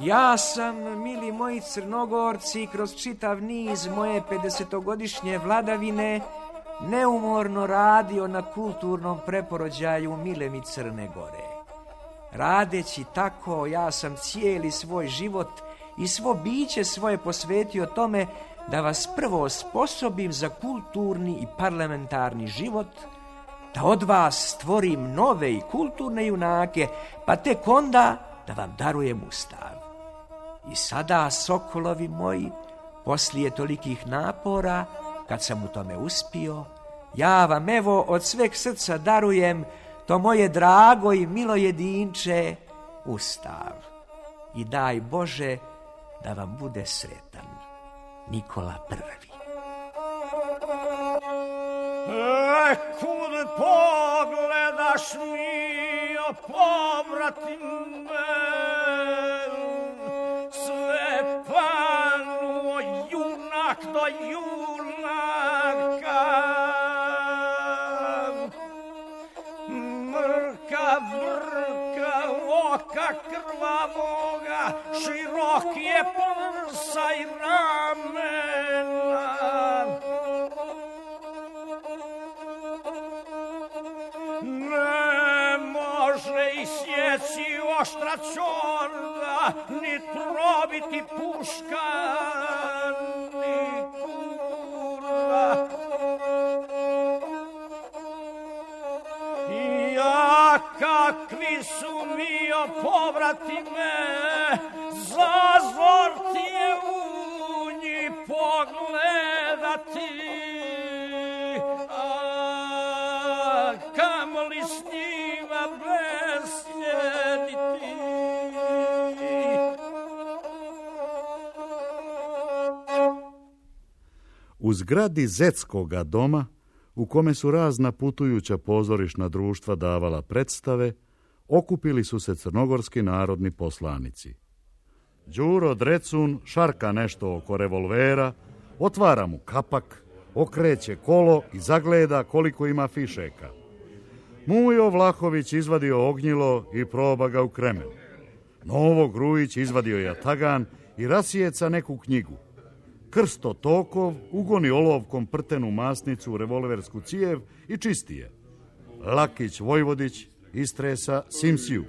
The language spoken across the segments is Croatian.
Ja sam, mili moji Crnogorci, kroz čitav niz moje 50-godišnje vladavine neumorno radio na kulturnom preporođaju mile mi Crne Gore. Radeći tako, ja sam cijeli svoj život i svo biće svoje posvetio tome da vas prvo osposobim za kulturni i parlamentarni život, da od vas stvorim nove i kulturne junake, pa tek onda da vam darujem Ustav. I sada, sokolovi moji, poslije tolikih napora, kad sam u tome uspio, ja vam evo od sveg srca darujem to moje drago i milo jedinče, Ustav. I daj Bože da vam bude sretan Nikola I. Kud pogledaš mio, povratime, sve panuo junak do junaka, vrka oka krvavoga, širok je prsa i ramena. Ne može isjeći oštra čorda, ni probiti puška, ni kurda. Ja kakvi su mio, povrati me, zazor ti je u njih pogledati. Kamoli s njima besjediti. U zgradi Zetskoga doma, u kome su razna putujuća pozorišna društva davala predstave, okupili su se crnogorski narodni poslanici. Đuro Drecun šarka nešto oko revolvera, otvara mu kapak, okreće kolo i zagleda koliko ima fišeka. Mujo Vlahović izvadio ognjilo i proba ga u kremen. Novo Grujić izvadio jatagan i rasjeca neku knjigu. Krsto Tokov ugoni olovkom prtenu masnicu u revolversku cijev i čisti je. Lakić Vojvodić istresa Simsiju.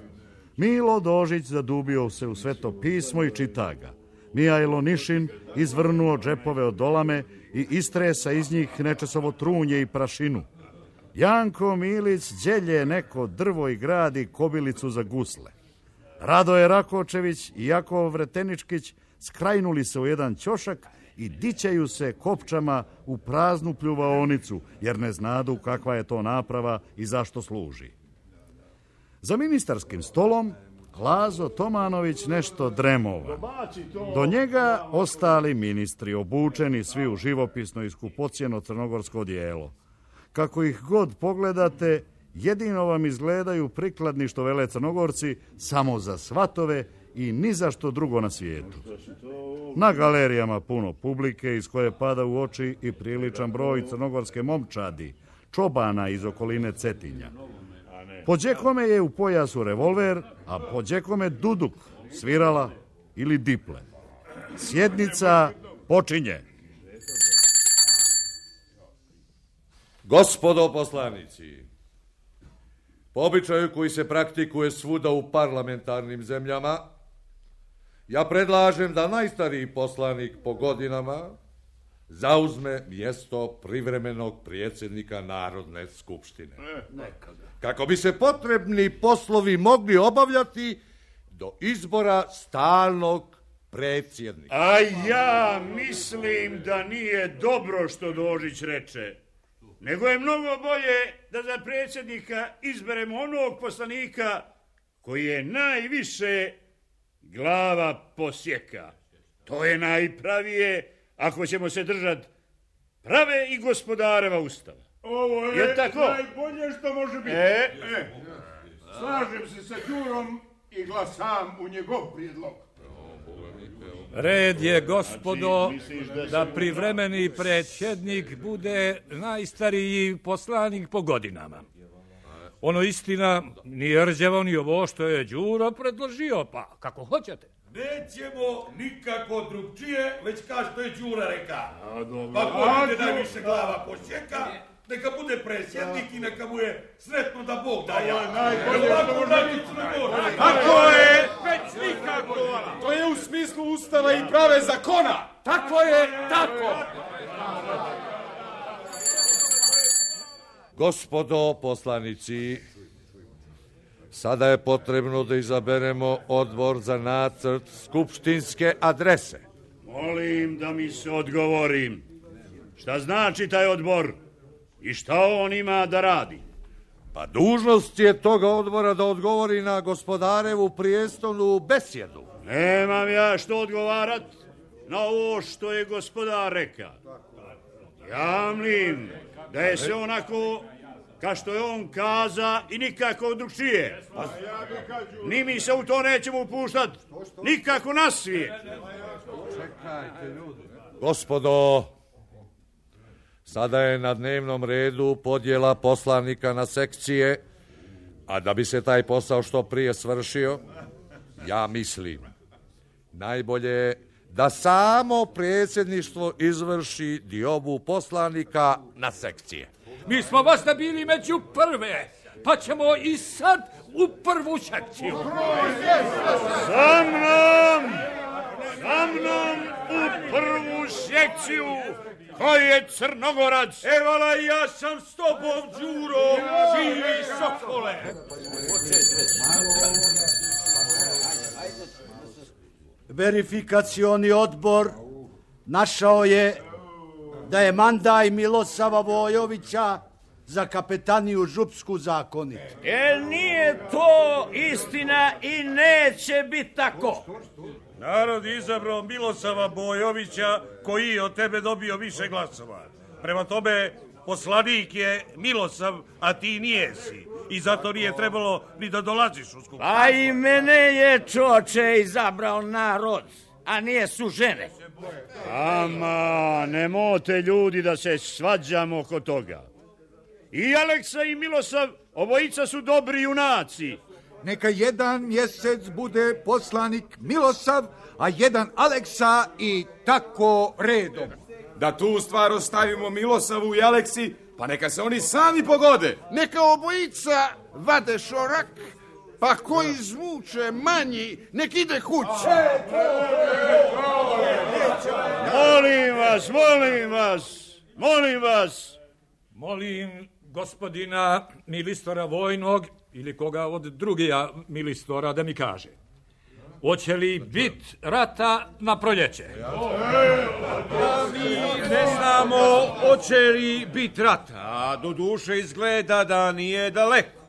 Milo Dožić zadubio se u sveto pismo i čita ga. Mijajlo Nišin izvrnuo džepove od dolame i istresa iz njih nečesovo trunje i prašinu. Janko Milić đelje neko drvo i gradi kobilicu za gusle. Radoje Rakočević i Jakov Vreteničkić skrajnuli se u jedan ćošak i dićaju se kopčama u praznu pljuvaonicu, jer ne znadu kakva je to naprava i zašto služi. Za ministarskim stolom Lazo Tomanović nešto dremova. Do njega ostali ministri, obučeni svi u živopisno i skupocjeno crnogorsko odijelo. Kako ih god pogledate, jedino vam izgledaju prikladni što vele Crnogorci samo za svatove i ni za što drugo na svijetu. Na galerijama puno publike iz koje pada u oči i priličan broj crnogorske momčadi, čobana iz okoline Cetinja. Pođekome je u pojasu revolver, a pođekome duduk, svirala ili diple. Sjednica počinje. Gospodo poslanici, po običaju koji se praktikuje svuda u parlamentarnim zemljama, ja predlažem da najstariji poslanik po godinama zauzme mjesto privremenog predsjednika Narodne skupštine. Kako bi se potrebni poslovi mogli obavljati do izbora stalnog predsjednika. A ja mislim da nije dobro što Dožić reče, nego je mnogo bolje da za predsjednika izberemo onog poslanika koji je najviše glava posjeka. To je najpravije ako ćemo se držati prave i gospodareva ustava. Ovo je tako? Najbolje što može biti. Slažem se sa Đurom i glasam u njegov prijedlog. Red je, gospodo, da privremeni predsjednik bude najstariji poslanik po godinama. Ono istina nije rđavo ni ovo što je Đuro predložio, pa kako hoćete. Nećemo nikako drugčije, već kao što je Đura reka. Pa ko bude najviše glava posjeka, neka bude predsjednik i neka mu je sretno da Bog daje. Tako je, već nikako. To je u smislu ustava i prave zakona. Tako je, tako. Gospodo poslanici, sada je potrebno da izaberemo odbor za nacrt skupštinske adrese. Molim da mi se odgovorim. Šta znači taj odbor i šta on ima da radi? Pa dužnost je toga odbora da odgovori na gospodarevu prijestolnu besjedu. Nemam ja što odgovarat na ovo što je gospodar reka. Jamlim da je sve onako kao što je on kaza i nikako drugčije. Ni mi se u to nećemo upuštat, nikako na svijet. Gospodo, sada je na dnevnom redu podjela poslanika na sekcije, a da bi se taj posao što prije svršio, ja mislim, najbolje je da samo predsjedništvo izvrši diobu poslanika na sekcije. Mi smo vas da bili među prve, pa ćemo i sad u prvu sekciju. Sa mnom u prvu sekciju, ko je Crnogorac? Evala, ja sam s tobom, Đuro, živi sokole. Verifikacioni odbor našao je da je mandaj Milosava Vojovića za kapetaniju Župsku zakonit. Nije to istina i neće biti tako. Narod je izabrao Milosava Bojovića, koji je od tebe dobio više glasova. Prema tome, poslanik je Milosav, a ti nijesi. I zato nije trebalo ni da dolaziš u skupštinu. A i mene je čoče izabrao narod, a nije su žene. Ama, nemote ljudi da se svađamo oko toga. I Aleksa i Milosav, obojica su dobri junaci. Neka jedan mjesec bude poslanik Milosav, a jedan Aleksa i tako redom. Da tu stvar ostavimo Milosavu i Aleksi, pa neka se oni sami pogode. Neka obojica vade šorak, pa ko izvuče manji, nek ide kući. Molim vas. Molim gospodina milistora vojnog ili koga od drugija milistora da mi kaže. Hoće li bit rata na proljeće? Mi ne znamo hoće li bit rata, a do duše izgleda da nije daleko.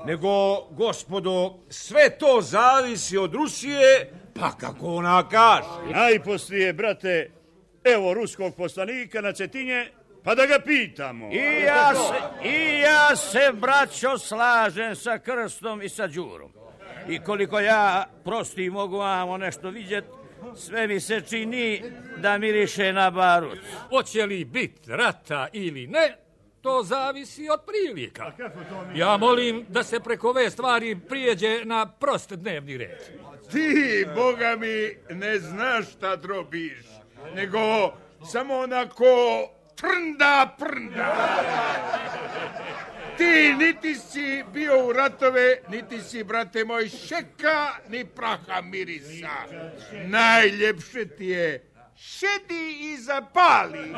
Nego, gospodo, sve to zavisi od Rusije, pa kako ona kaže. Najposlije, brate, evo ruskog poslanika na Cetinje, pa da ga pitamo. I ja se, braćo, slažem sa Krstom i sa Đurom. I koliko ja prosti mogu vamo nešto vidjet, sve mi se čini da miriše na barut. Hoće li bit rata ili ne, to zavisi od prilika. Ja molim da se preko ove stvari prijeđe na prost dnevni red. Ti, Boga mi, ne znaš šta drobiš, nego samo onako prnda. Ti niti si bio u ratove, niti si, brate moj, šeka, ni praha mirisa. Najljepše ti je, šedi i zapali.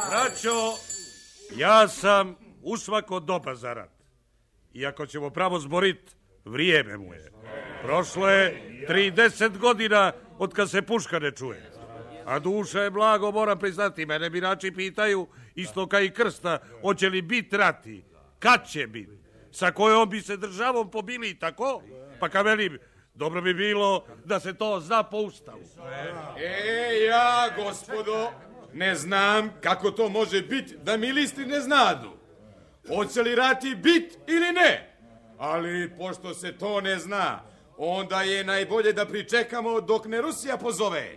Braćo, ja sam usvako dobar za rat. I ako ćemo pravo zborit, vrijeme mu je. Prošlo je 30 godina od kad se puška ne čuje. A duša je blago, moram priznati, mene birači pitaju, isto kao i Krsta, hoće li biti rati, kad će biti, sa kojom bi se državom pobili i tako, pa kad velim, dobro bi bilo da se to zna po ustavu. Ja, gospodo, ne znam kako to može biti da milisti ne znadu. Hoće li rati bit ili ne? Ali pošto se to ne zna, onda je najbolje da pričekamo dok ne Rusija pozove.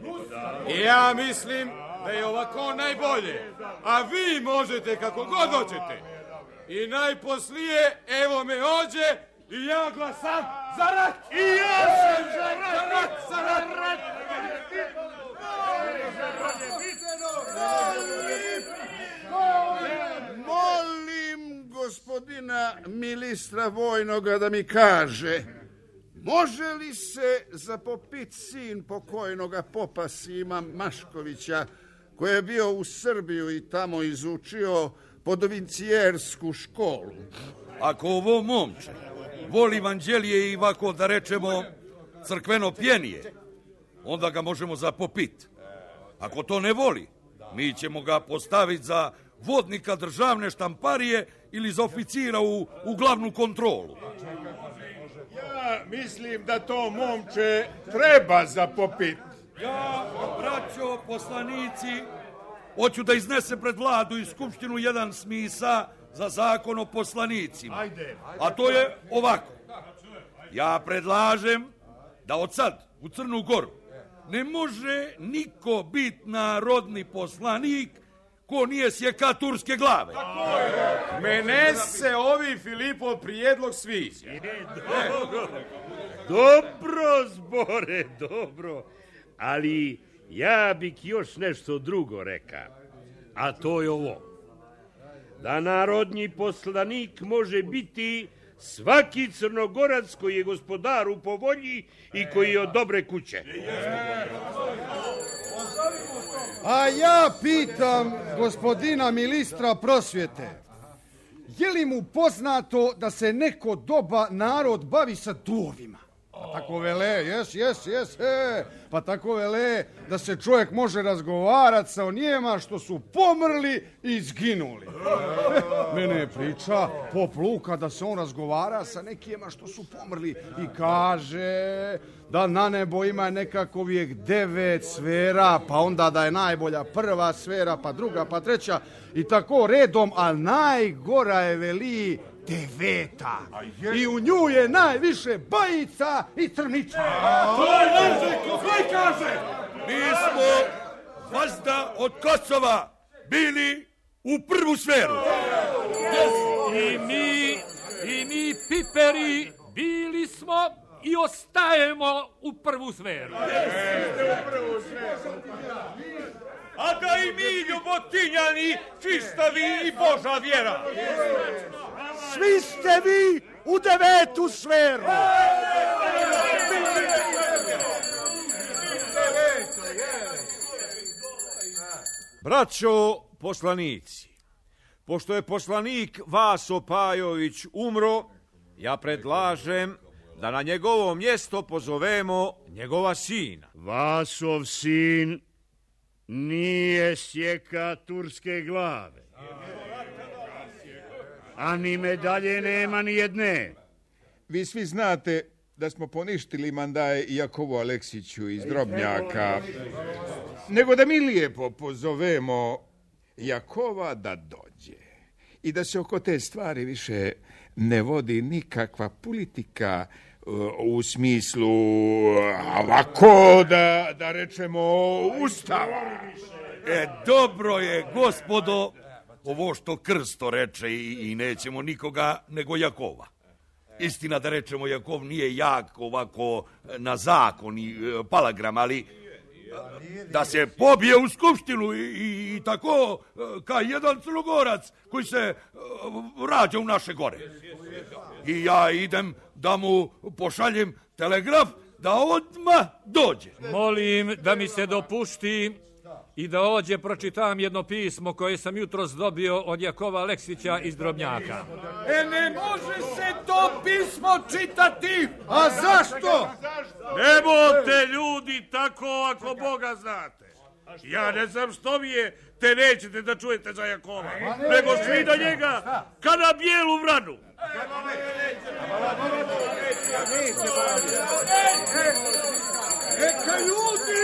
Ja mislim da je ovako najbolje. A vi možete kako god hoćete. I najposlije, evo me ođe i ja glasam za rat. I ja sam za rat. Za rat. Molim gospodina ministra vojnoga da mi kaže, može li se zapopit sin pokojnoga popa Sima Maškovića, koji je bio u Srbiju i tamo izučio podovincijersku školu? Ako ovo momče voli evanđelije i ovako da rečemo crkveno pjenije, onda ga možemo zapopit. Ako to ne voli, mi ćemo ga postaviti za vodnika državne štamparije ili za oficira u glavnu kontrolu. Ja mislim da to momče treba zapopit. Ja, braćo, poslanici, hoću da iznese pred vladu i skupštinu jedan smisa za zakon o poslanicima. A to je ovako. Ja predlažem da od sad u Crnu Goru ne može niko biti narodni poslanik ko nije sjeka turske glave. Mene se ovi Filipov prijedlog sviđa. Dobro, Zbore, dobro. Ali ja bih još nešto drugo rekao. A to je ovo. Da narodni poslanik može biti svaki Crnogorac koji je gospodaru po volji i koji je od dobre kuće. A ja pitam gospodina ministra prosvjete, je li mu poznato da se neko doba narod bavi sa duvovima? Pa tako vele, jes, pa tako vele da se čovjek može razgovarati sa onijema što su pomrli i izginuli. Mene je priča pop Luka da se on razgovara sa nekijema što su pomrli i kaže da na nebo ima nekako uvijek 9 sfera, pa onda da je najbolja prva sfera, pa druga, pa treća i tako redom, a najgora je veli 9. I u nju je najviše bajica i trniča. To je Nežeko, koji kaže? Mi smo vazda od Kosova bili u prvu sferu. I mi piperi bili smo i ostajemo u prvu sferu. A da i mi ljubotinjani, čistavi i Boža vjera. Svi ste vi u 9. sferu. Braćo poslanici, pošto je poslanik Vaso Pajović umro, ja predlažem da na njegovo mjesto pozovemo njegova sina. Vasov sin nije sjeka turske glave. A ni medalje nema ni jedne. Vi svi znate da smo poništili mandaj Jakovu Aleksiću iz Drobnjaka. Nego da mi lijepo pozovemo Jakova da dođe. I da se oko te stvari više ne vodi nikakva politika u smislu ovako da rečemo ustava. Dobro je, gospodo, ovo što Krsto reče i nećemo nikoga nego Jakova. Istina da rečemo Jakov nije jak ovako na zakon i palagram, ali da se pobije u skupštinu i tako kao jedan Crnogorac koji se rađa u naše gore. I ja idem da mu pošaljem telegraf da odmah dođe. Molim da mi se dopušti i da ođe pročitam jedno pismo koje sam jutros dobio od Jakova Aleksića iz Drobnjaka. Ne može se to pismo čitati! A zašto? Nemojte ljudi tako ako Boga znate. Ja ne znam što vi je, te nećete da čujete za Jakova, nego svi do njega ka na bijelu vranu. Neka ljudi!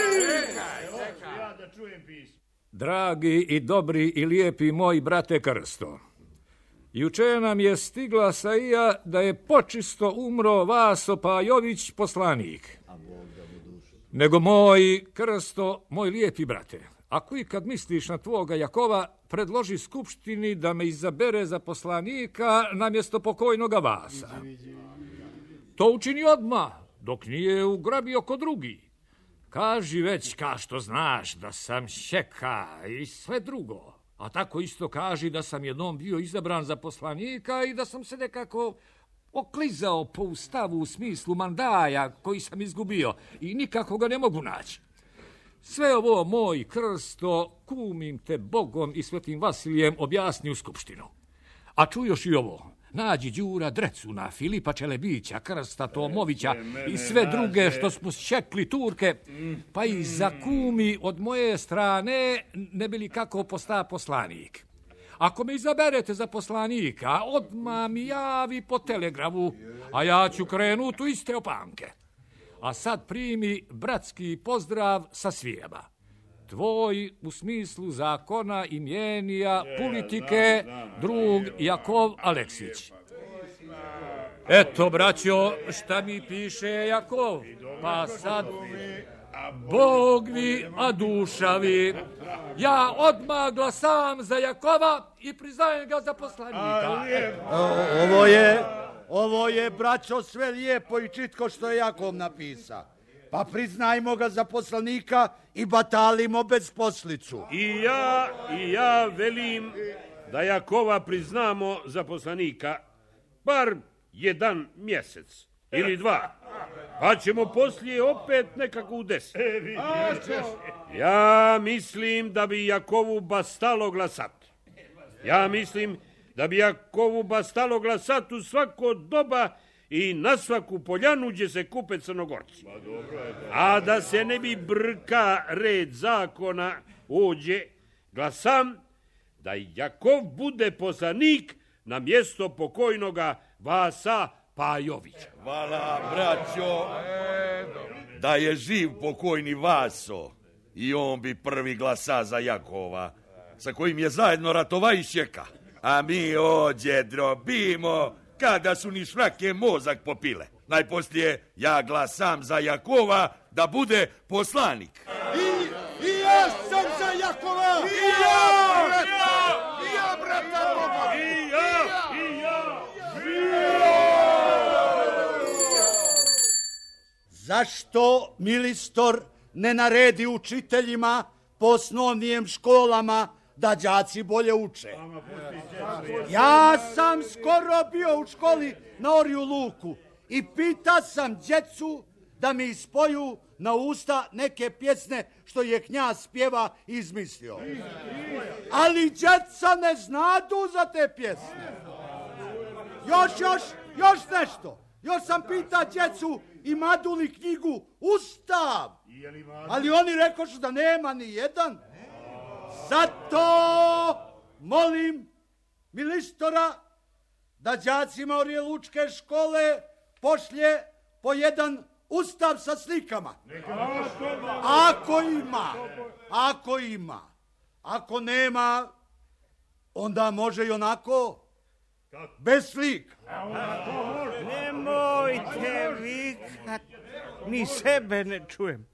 Dragi i dobri i lijepi moj brate Krsto, juče nam je stigla saija da je počisto umro Vaso Pajović poslanik. Nego moj Krsto, moj lijepi brate, ako ikad misliš na tvoga Jakova, predloži skupštini da me izabere za poslanika namjesto pokojnoga Vasa. To učini odmah, dok nije ugrabio kod drugi. Kaži već, ka što znaš, da sam šeka i sve drugo. A tako isto kaži da sam jednom bio izabran za poslanika i da sam se nekako oklizao po ustavu u smislu mandaja koji sam izgubio i nikako ga ne mogu naći. Sve ovo, moj Krsto, kumim te Bogom i Svetim Vasilijem, objasni u skupštinu. A čujoš i ovo, nađi Đura Drecuna, Filipa Čelebića, Krsta Tomovića i sve druge što smo šekli Turke, pa i zakumi od moje strane, ne bi li kako posta poslanik. Ako me izaberete za poslanika, odmah mi javi po telegrafu, a ja ću krenuti u iste opanke. A sad primi bratski pozdrav sa svijema. Tvoj u smislu zakona, imjenija, politike, drug Jakov Aleksić. Eto, braćo, šta mi piše Jakov? Pa sad, Bog vi, a duša vi. Ja odmah glasam za Jakova i priznajem ga za poslanika. Ovo je, braćo, sve lijepo i čitko što je Jakov napisa. Pa priznajmo ga za poslanika i batalimo bez poslicu. I ja velim da Jakova priznamo za poslanika bar 1 mjesec ili 2. Pa ćemo poslije opet nekako u 10. Ja mislim da bi Jakovu bastalo glasat. Ja mislim da bi Jakovu bastalo glasat u svako doba i na svaku poljanu gdje se kupe Crnogorci. A da se ne bi brka red zakona ođe, glasam da Jakov bude poslanik na mjesto pokojnoga Vasa Pajovića. Hvala, braćo, da je živ pokojni Vaso i on bi prvi glasa za Jakova, sa kojim je zajedno ratova i šeka. A mi ođe drobimo kada su ni švrake mozak popile. Najposlije ja glasam za Jakova da bude poslanik. I ja sam za Jakova! I ja, brata Boga! I ja! Zašto Milistor ne naredi učiteljima po osnovnim školama da đaci bolje uče? Ja sam skoro bio u školi na Orju Luku i pita sam djecu da mi ispoju na usta neke pjesne što je knjaz pjeva izmislio. Ali djeca ne znadu za te pjesne. Još nešto. Još sam pita djecu imadu li knjigu Ustav. Ali oni rekošu da nema ni jedan. Zato molim Milistora da đacima Orje Lučke škole pošlje po jedan ustav sa slikama. Ako ima. Ako nema, onda može i onako bez slika. Nemojte vikat, ni sebe ne čujem.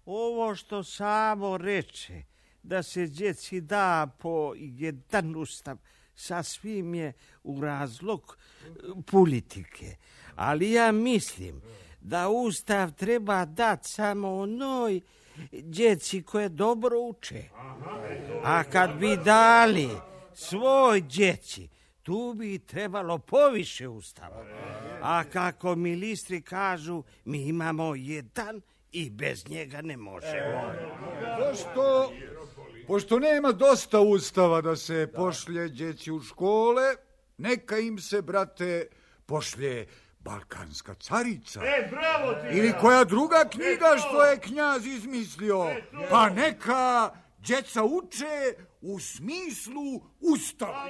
Ovo što samo reče, da se djeci da po jedan ustav, sasvim je u razlog politike. Ali ja mislim da ustav treba dati samo onoj djeci koje dobro uče. A kad bi dali svoj djeci, tu bi trebalo poviše ustava. A kako ministri kažu, mi imamo jedan i bez njega ne možemo. Pošto nema dosta ustava da se pošlje djeci u škole, neka im se, brate, pošlje Balkanska carica. Bravo ti! Ili koja druga knjiga što je knjaz izmislio. Pa neka djeca uče u smislu ustava.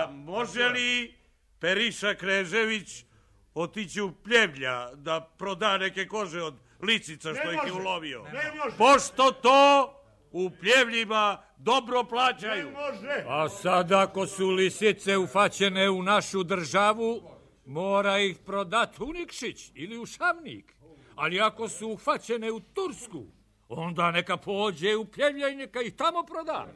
Može li Periša Krežević otići u Pljevlja da proda neke kože od lisica što ih je ulovio? Pošto to u Pljevljima dobro plaćaju. A sad ako su lisice ufaćene u našu državu, mora ih prodat u Nikšić ili u Šavnik. Ali ako su uhvaćene u Tursku, onda neka pođe u Pljevlja i neka ih tamo proda.